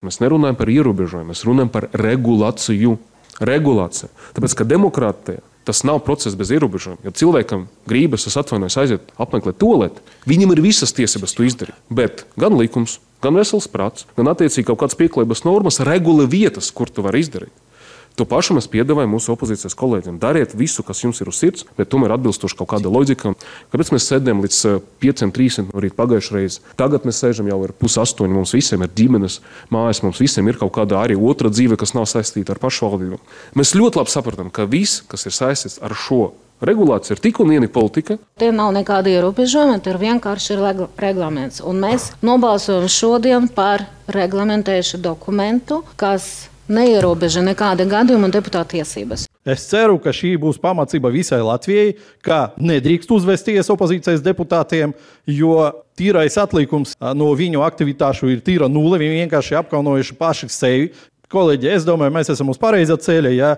Mēs nerunājam par ierobežojumu, mēs runājam par regulāciju. Regulācija. Tāpēc, ka demokrātija tas nav process bez ierobežojuma. Ja cilvēkam gribas, es atvainojos, aiziet apmeklēt tualeti, viņam ir visas tiesības to izdarīt. Bet gan likums, gan vesels prāts, gan attiecīgi kaut kādas pieklājības normas regula vietas, kur to var izdarīt. To pašu mēs piedāvājam mūsu opozīcijas kolēģiem. Dariet visu, kas jums ir uz sirds, bet tomēr atbilstoši kaut kāda loģika. Kāpēc mēs sēdējam līdz 5:30 no rīta pagājušajā reizē? Tagad mēs sēžam jau ir 7:30, mums visiem ir ģimenes mājas, mums visiem ir kaut kāda arī otra dzīve, kas nav saistīta ar pašvaldību. Mēs ļoti labi saprotam, ka viss, kas ir saistīts ar šo regulāciju, ir tik un vienīgi politika. Tie nav nekādi ierobežojumi, tie ir vienkārši reglaments. Un mēs nobalsojam šodien par reglamentējušu dokumentu, kas neierobeža nekāda gadījuma un deputāta tiesības. Es ceru, ka šī būs pamācība visai Latvijai, ka nedrīkst uzvesties opozīcijas deputātiem, jo tīrais atlikums no viņu aktivitāšu ir tīra nulle. Viņi vienkārši apkaunojuši paši sevi. Kolēģi, es domāju, mēs esam uz pareizā ceļa. Ja?